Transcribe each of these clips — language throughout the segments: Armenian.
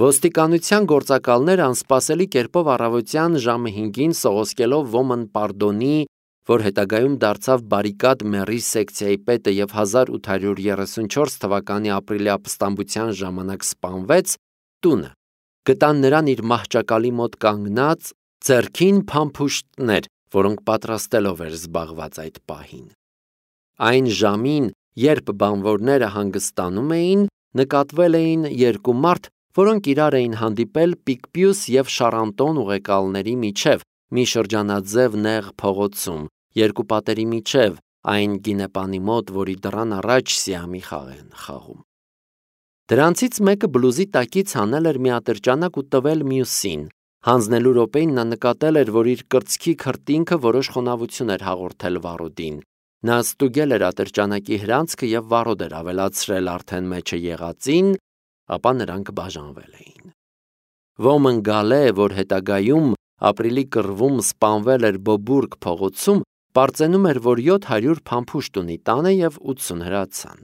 Ոստիկանության գործակալները անսպասելի կերպով առավոտյան ժամը 5-ին սողոսկելով Ոմն Պարդոնի, որ հետագայում դարձավ Բարիկադ Մերի սեկցիայի պետը և 1834 թվականի ապրիլի ապստամբության ժամանակ սպանվեց, տունը, գտան նրան իր մահճակալի մոտ կանգնած, ձեռքին փամփուշտներ, որոնք պատրաստելով էր զբաղված այդ պահին։ Այն ժամին, երբ բանվորները հանգստանում էին, նկատվել էին երկու մարդ, որոնք իրար էին հանդիպել Պիկպյուս և Շարանտոն ուղեկալների միջև, մի շրջանաձև նեղ փողոցում, երկու պատերի միջև, այն գինեպանի մոտ, որի դռան առաջ սիամի խաղ են խաղում։ Դրանցից մեկը բլուզի տակից հանել էր մի ատրճանակ ու տվել մյուսին։ Հանձնելու րոպեին նա նկատել էր, որ իր կրծքի քրտինքը որոշ խոնավություն էր հաղորդել վարոդին։ Նա ստուգել էր ատրճանակի հրանցքը և վարոդ էր ավելացրել արդեն մեջը եղածին, ապա նրանք բաժանվել էին։ Ոմն Գալե, որ հետագայում ապրիլի կռվում սպանվել էր Բոբուրգ փողոցում, պարծենում էր, որ 700 փամփուշտ ունի տանը և 80 հրացան։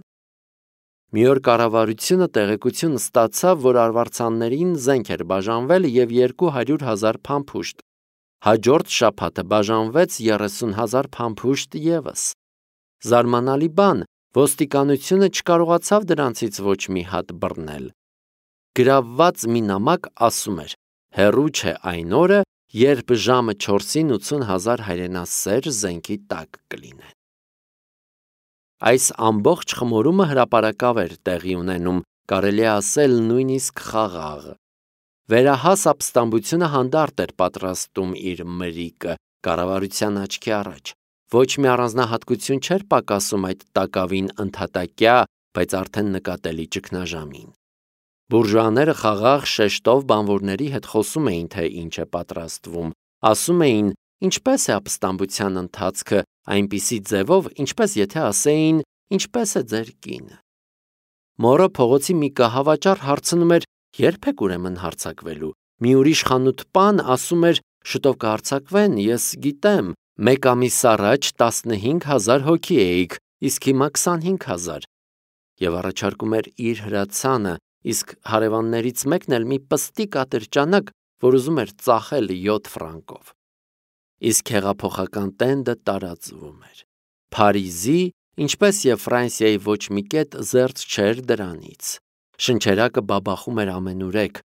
Մի օր կառավարությունը տեղեկություն ստացավ, որ արվարձաններին զենք էր բաժանվել և 200,000 փամփուշտ։ Հաջորդ շաբաթը բաժանվեց 30,000 փամփուշտ ևս։ Զարմանալի բան, ոստիկանությունը չկարողացավ դրանցից ոչ մի հատ բռնել։ Գրավված մի նամակ ասում էր. հեռու չէ այն օրը, երբ ժամը 4-ին 80,000 հայրենասեր զենքի տակ կլինեն։ Այս ամբողջ խմորումը հրապարակավ էր տեղի ունենում, կարելի է ասել նույնիսկ խաղաղ։ Վերահաս ապստամբությունը հանդարտ էր պատրաստում իր մրիկը կառավարության աչքի առաջ։ Ոչ մի առանձնահատկություն չէր պակասում այդ տակավին ընդհատակյա, բայց արդեն նկատելի ճգնաժամին։ Բուրժուաները խաղաղ շեշտով բանվորների հետ խոսում էին, թե ինչ է պատրաստվում, ասում էին, ինչպես է ապստամբության ընթացքը, այնպիսի ձևով, ինչպես եթե ասեին, ինչպես է ձեր կինը։ Մորը փողոցի մի կահավաճառ հարցնում էր, երբ եք ուրեմն հարձակվելու։ Մի ուրիշ խանութպան ասում էր, շուտով կհարձակվեն, ես գիտեմ, մեկ ամիս առաջ 15,000 հոգի էիք, իսկ հիմա 25,000։ Եվ առաջարկում էր իր հրացանը, իսկ հարևաններից մեկն էլ մի պստիկ ատրճանակ, որ ուզում էր ծախել 7 ֆրանկով։ Իսկ հեղափոխական տենդը տարածվում էր։ Փարիզի, ինչպես և Ֆրանսիայի ոչ մի կետ զերծ չէր դրանից։ Շնչերակը բաբախում էր ամենուրեք։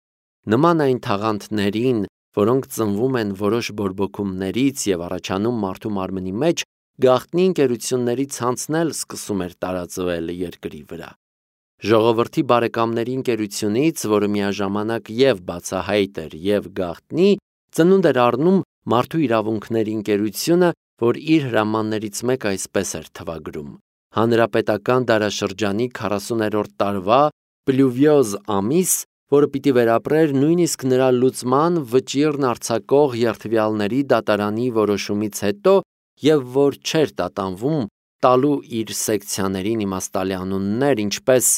Նման այն թաղանթներին, որոնք ծնվում են որոշ բորբոքումներից և առաջանում մարդու մարմնի մեջ, գաղտնի ընկերությունների ցանցն էլ սկսում էր տարածվել երկրի վրա։ Ժողովրդի բարեկամների ընկերությունից, որը միաժամանակ և բացահայտ էր և գաղտնի, ծնունդ էր առնում մարդու իրավունքների ընկերությունը, որ իր հրամաններից մեկը այսպես էր թվագրում. Հանրապետական դարաշրջանի 40-րդ տարվա պլյուվիոզ ամիս, որը պիտի վերապրեր նույնիսկ նրա լուծման վճիռն արձակող երդվյալների դատարանի որոշումից հետո և որ չէր տատանվում տալու իր սեկցիաներին իմաստալի անուններ, ինչպես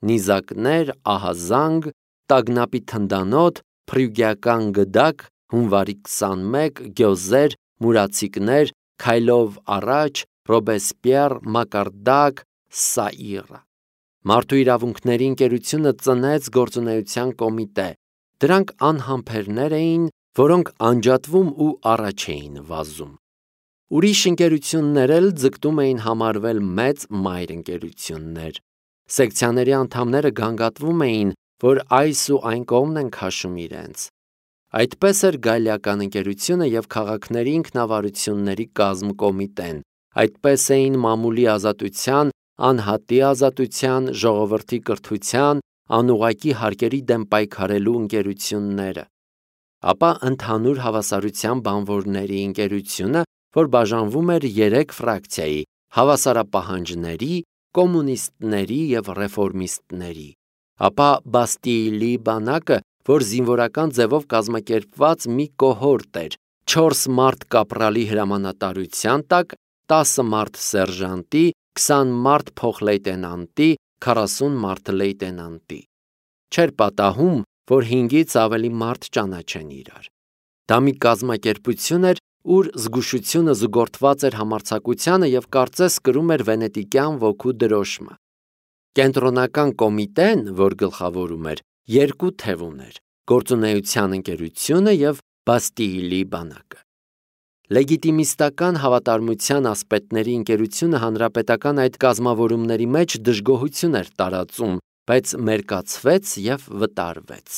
նիզակներ, ահազանգ, տագնապի թնդանոթ, փրյուգիական գդակ, հունվարի 21, գյոզեր, մուրացիկներ, քայլով առաջ, Ռոբեսպիեր, մակարդակ, Սաիրա։ Մարդու իրավունքների ընկերությունը ծնեց գործունեության կոմիտե։ Դրանք անհամբերներ էին, որոնք անջատվում ու առաջ էին վազում։ Ուրիշ ընկերություններ էլ ձգտում էին համարվել մեծ մայր ընկերություններ։ Սեկցիաների անդամները գանգատվում էին, որ այս ու այն կողմն են քաշում իրենց։ Այդպես էր Գալիական ընկերությունը և քաղաքների ինքնավարությունների կազմ կոմիտեն, այդպես էին մամուլի ազատության, անհատի ազատության, ժողովրդի կրթության, անուղղակի հարկերի դեմ պայքարելու ընկերությունները, ապա ընդհանուր հավասարության բանվորների ընկերությունը, որ բաժանվում էր 3 ֆրակցիայի՝ հավասարապահանջների, կոմունիստների և ռեֆորմիստների, ապա Բաստիլի բանակը, որ զինվորական ձևով կազմակերպված մի կոհորտ էր, 4 մարդ կապրալի հրամանատարության տակ, 10 մարդ սերժանտի, 20 մարդ փոխլեյտենանտի, 40 մարդ լեյտենանտի։ Չէր պատահում, որ 5-ից ավելի մարդ ճանաչեն իրար։ Դա մի կազմակերպություն էր, ուր զգուշությունը զուգորդված էր համարձակությանը և կարծես կրում էր վենետիկյան ոգու դրոշմը։ Կենտրոնական կոմիտեն, որ գլխավորում էր, 2 թև ուներ՝ գործունեության ընկերությունը և Բաստիլի բանակը։ Լեգիտիմիստական հավատարմության ասպետների ընկերությունը հանրապետական այդ կազմավորումների մեջ դժգոհություն էր տարածում, բայց մերկացվեց և վտարվեց։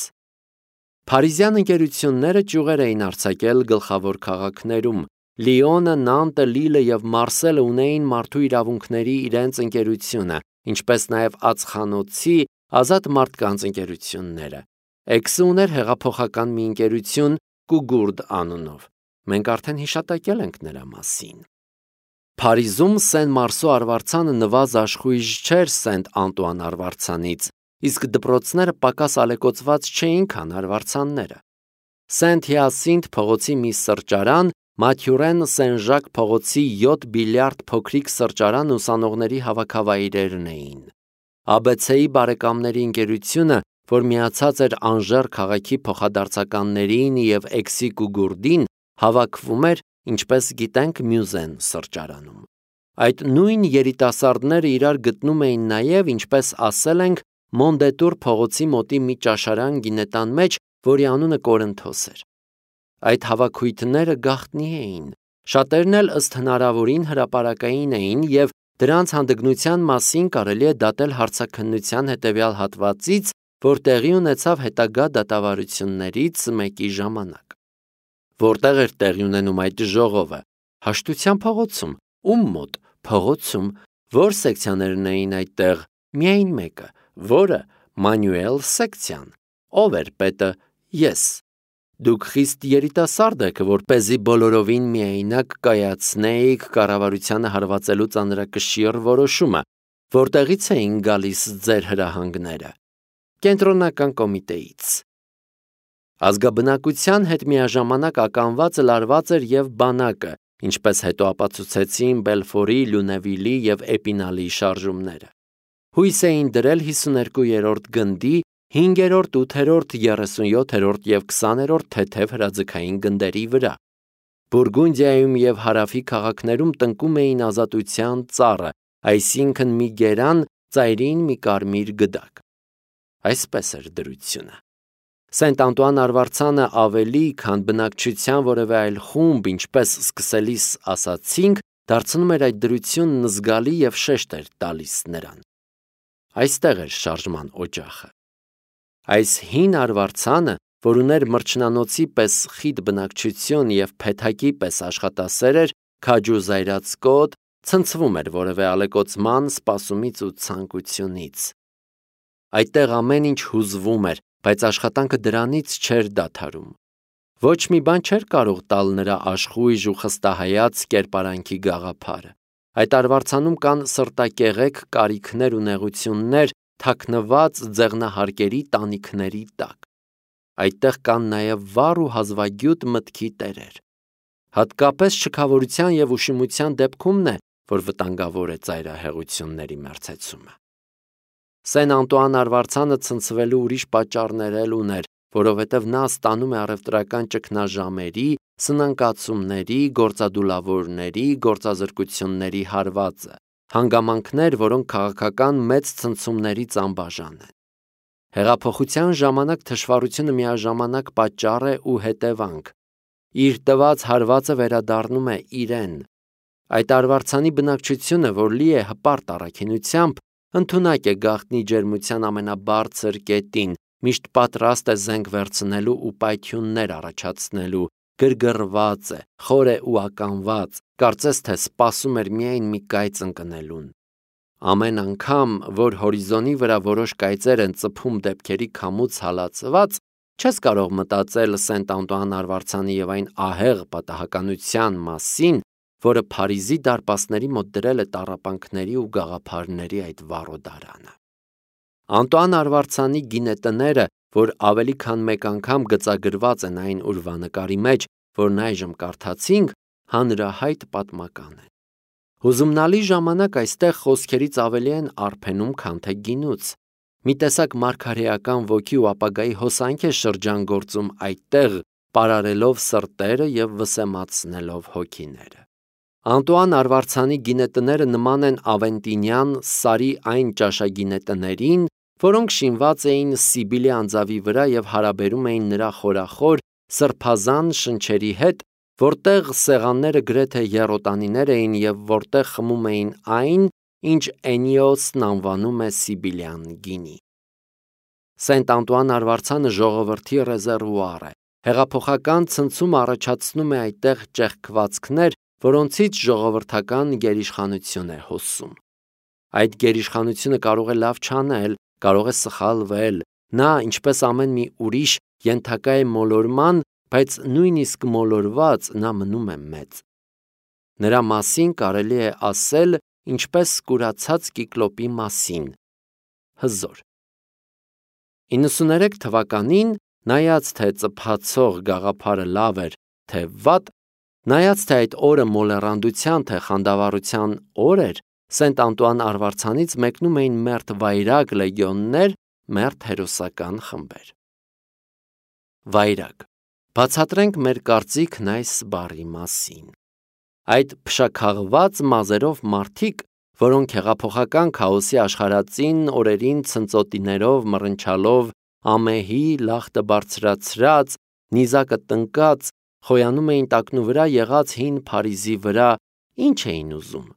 Փարիզյան ընկերությունները ճյուղեր էին արձակել գլխավոր քաղաքներում։ Լիոնը, Նանտը, Լիլը և Մարսելը ունեին մարդու իրավունքների իրենց ընկերությունը, ինչպես նաև ածխանոցի, ազատ մարդկանց ընկերությունները։ Էքսը ուներ հեղափոխական մի ընկերություն Կուգուրդ անունով։ Մենք արդեն հիշատակել ենք նրա մասին։ Փարիզում Սեն-Մարսո արվարձանը նվազ աշխույժ չէր Սենտ Անտուան արվարձանից, իսկ դպրոցները պակաս ալեկոծված չէին, քան արվարձանները։ Սենտ Հիասինթ փողոցի մի սրճարան, Մաթյուրեն Սեն-Ժակ փողոցի 7 բիլիարդ փոքրիկ սրճարան ուսանողների հավաքավայրերն էին։ ABC-ի բարեկամների ընկերությունը, որ միացած էր Անժեր քաղաքի փոխադարձականներին և Էքսի Կուգուրդին, հավաքվում էր, ինչպես գիտենք, Մյուզեն սրճարանում։ Այդ նույն երիտասարդները իրար գտնում էին նաև, ինչպես ասել ենք, Մոնդետուր փողոցի մոտի մի ճաշարան գինետան մեջ, որի անունը Կորինթոս էր։ Այդ հավաքույթները գաղտնի էին։ Շատերն էլ ըստ հնարավորին հրապարակային էին և դրանց հանդգնության մասին կարելի է դատել հարցաքննության հետևյալ հատվածից, որ տեղի ունեցավ հետագա դատավարություններից մեկի ժամանակ։ Որտեղ էր տեղի ունենում այդ ժողովը։ Հաշտության փողոցում։ Ում մոտ։ Փողոցում։ Որ սեկցիաներն էին այդտեղ։ Միայն մեկը։ Որը։ Մանյուել սեկցիան։ Ով էր պետը։ Ես։ Դուք խիստ երիտասարդ եք, որպեսզի բոլորովին միայնակ կայացնեիք կառավարությանը հարվածելու ծանրակշիռ որոշումը, որտեղից էին գալիս ձեր հրահանգները։ Կենտրոնական կոմիտեից։ Ազգաբնակության հետ միաժամանակ ականված լարված էր և բանակը, ինչպես հետո ապացուցեցին Բելֆորի, Լյունևիլի և Էպինալի շարժումները։ Հույս էին դրել 52-րդ գնդի, 5-րդ, 8-րդ, 37-րդ և 20-րդ թեթև հրաձգային գնդերի վրա։ Բուրգունդիայում և հարավի քաղաքներում տնկում էին ազատության ծառը, այսինքն մի գերան, ծայրին մի կարմիր գդակ։ Այսպես էր դրությունը։ Սենտ Անտուան արվարձանը ավելի, քան բնակչության որևէ այլ խումբ, ինչպես սկսելիս ասացինք, դարձնում էր այդ դրությունն զգալի և շեշտ էր տալիս նրան։ Այստեղ էր շարժման օջախը։ Այս հին արվարձանը, որ ուներ մրջնանոցի պես խիտ բնակչություն և փեթակի պես աշխատասեր էր, քաջ ու զայրացկոտ, ցնցվում էր որևէ ալեկոծման, սպասումից ու ցանկությունից։ Այդտեղ ամեն ինչ հուզվում էր, բայց աշխատանքը դրանից չէր դադարում։ Ոչ մի բան չէր կարող տալ նրա աշխույժ ու խստահայաց կերպարանքի գաղափարը։ Այդ արվարձանում կան սրտակեղեկ կարիքներ ու նեղություններ, թաքնված ձեղնահարկերի տանիքների տակ։ Այդտեղ կան նաև վառ ու հազվագյուտ մտքի տերեր։ Հատկապես շքավորության և ուշիմության դեպքումն է, որ վտանգավոր է ծայրահեղությունների մերձեցումը։ Սեն Անտուան արվարձանը ցնցվելու ուրիշ պատճառներ էլ ուներ, որովհետև նա ստանում է առևտրական ճգնաժամերի, սնանկացումների, գործադուլավորների, գործազրկությունների հարվածը, հանգամանքներ, որոնք քաղաքական մեծ ցնցումներից անբաժան են։ Հեղափոխության ժամանակ թշվառությունը միաժամանակ պատճառ է ու հետևանք։ Իր տված հարվածը վերադառնում է իրեն։ Այդ արվարձանի բնակչությունը, որ լի է հպարտ առաքինությամբ, ընդունակ է գաղտնի ջերմության ամենաբարձր կետին, միշտ պատրաստ է զենք վերցնելու ու պայթյուններ առաջացնելու, գրգռված է, խոր է ու ականված, կարծես թե սպասում էր միայն մի կայծ ընկնելուն։ Ամեն անգամ, որ հորիզոնի վրա որոշ կայծեր են ծփում դեպքերի քամուց հալածված, չես կարող մտածել Սենտ Անտուան արվարձանի և այն ահեղ պատահականության մասին, որը Փարիզի դարպասների մոտ դրել է տառապանքների ու գաղափարների այդ վառոդարանը։ Անտուան արվարձանի գինետները, որ ավելի քան մեկ անգամ գծագրված են այն ուրվանկարի մեջ, որն այժմ կարդացինք, հանրահայտ պատմական են։ Հուզումնալի ժամանակ այստեղ խոսքերից ավելի են արփենում, քան թե գինուց։ Մի տեսակ մարգարեական ոգի ու ապագայի հոսանք է շրջանգործում այդտեղ, պարարելով սրտերը և վսեմացնելով հոգիները։ Անտուան արվարձանի գինետները նման են ավենտինյան սարի այն ճաշագինետներին, որոնք շինված էին Սիբիլի անձավի վրա եւ հարաբերում էին նրա խորախոր սրբազան շնչերի հետ, որտեղ սեղանները գրեթե եռոտանիներ էին եւ որտեղ խմում էին այն, ինչ Էնիոսն անվանում է Սիբիլյան գինի։ Սենտ Անտուան Արվարձանը ժողովրդի ռեզերվուար է։ Հեղափոխական ցնցում առաջացնում է այդտեղ ճեղքվածքներ, որոնցից ժողովրդական գերիշխանություն է հոսում։ Այդ գերիշխանությունը կարող է լավ չանել, կարող է սխալվել։ Նա, ինչպես ամեն մի ուրիշ, ենթակա է մոլորման, բայց նույնիսկ մոլորված նա մնում է մեծ։ Նրա մասին կարելի է ասել, ինչպես կուրացած կիկլոպի մասին՝ հզոր։ 93 թվականին, նայած թե ծփացող գաղափարը լավ էր, թե վատ, նայած թե այդ օրը մոլեռանդության, թե խանդավառության օր էր, Սենտ Անտուան Արվարձանից մեկնում էին մերթ վայրագ լեգիոններ, մերթ հերոսական խմբեր։ Վայրագ։ Բացատրենք մեր կարծիքն այս բառի մասին։ Այդ փշաքաղված մազերով մարդիկ, որոնք հեղափոխական քաոսի աշխարհածին օրերին ցնծոտիներով մռնչալով, ամեհի լախտը բարձրացրած, նիզակը տնկած, խոյանում էին տակնու վրա եղած հին Փարիզի վրա, ինչ էին ուզում։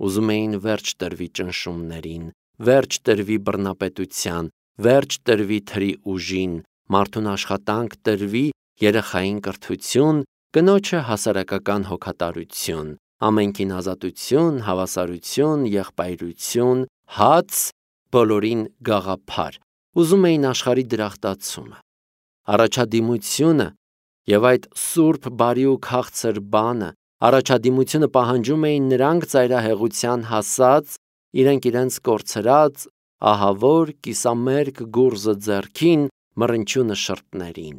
Ուզում էին վերջ տրվի ճնշումներին, վերջ տրվի բռնապետության, վերջ տրվի թրի ուժին, մարդուն աշխատանք տրվի, երեխային կրթություն, կնոջը հասարակական հոգատարություն, ամենքին ազատություն, հավասարություն, եղբայրություն, հաց, բոլորին գաղափար, ուզում էին աշխարհի դրախտացումը, առաջադիմությունը եւ այդ սուրբ բարի ու քաղցր բանը, առաջադիմությունը պահանջում էին նրանք ծայրահեղության հասած, իրենց կորցրած, ահավոր, կիսամերկ գուրզը ձեռքին, մռնչյունը շրթներին։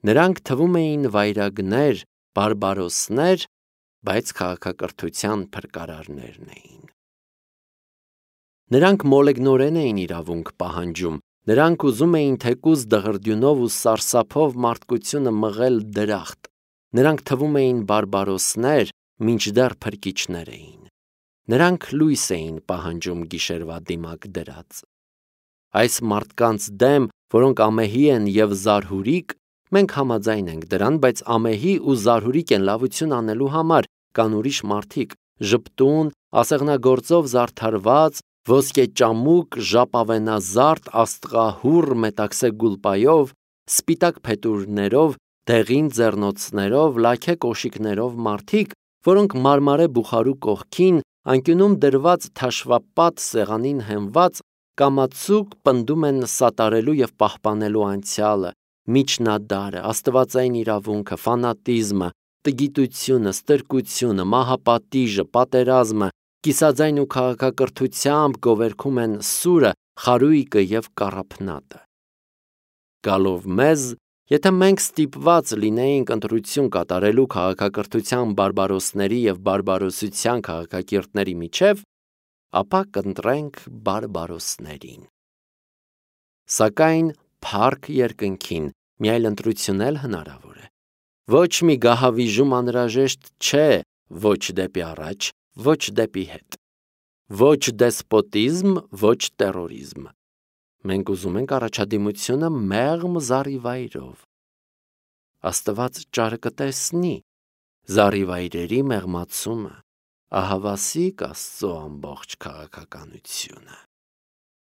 Նրանք թվում էին վայրագներ, բարբարոսներ, բայց քաղաքակրթության փրկարարներն էին։ Նրանք մոլեգնորեն էին իրավունք պահանջում, նրանք ուզում էին թեկուզ դղրդյունով ու սարսափով մարդկությունը մղել դրախտ, նրանք թվում էին բարբարոսներ, մինչդեռ փրկիչներ էին։ Նրանք լույս էին պահանջում գիշերվա դիմակ դրած։ Այս մարդկանց դեմ, որոնք ամեհի են եւ զարհուրիկ, մենք համաձայն ենք դրան, բայց ամեհի ու զարհուրիկ են լավություն անելու համար, կան ուրիշ մարդիկ, ժպտուն, ասեղնագործով զարդարված, ոսկեճամուկ, ժապավենազարդ, աստղահուռ մետաքսե գուլպայով, սպիտակ փետուրներով, դեղին ձեռնոցներով, լաքե կոշիկներով մարդիկ, որոնք մարմարե բուխարու կողքին, անկյունում դրված թաշվապատ սեղանին հենված, կամացուկ պնդում են սատարելու եւ պահպանելու անցյալը, միջնադարը, աստվածային իրավունքը, ֆանատիզմը, տգիտությունը, ստրկությունը, մահապատիժը, պատերազմը, կիսաձայն ու քաղաքակրթությամբ գովերգում են սուրը, խարույկը եւ կառափնատը։ Գալով մեզ, եթե մենք ստիպված լինեինք ընտրություն կատարելու քաղաքակրթության բարբարոսների եւ բարբարոսության քաղաքակիրթների միջև, ապա կընտրենք բարբարոսներին։ Սակայն փառք երկնքին, մի այլ ընտրություն էլ հնարավոր է։ Ոչ մի գահավիժում անհրաժեշտ չէ, ոչ դեպի առաջ, ոչ դեպի հետ։ Ոչ դեսպոտիզմ, ոչ տերորիզմ։ Մենք ուզում ենք առաջադիմությունը մեղմ զառիվայրով։ Աստված ճարը կտեսնի, զառիվայրերի մեղմացումը, ահավասիկ Աստծո ամբողջ քաղաքականությունը։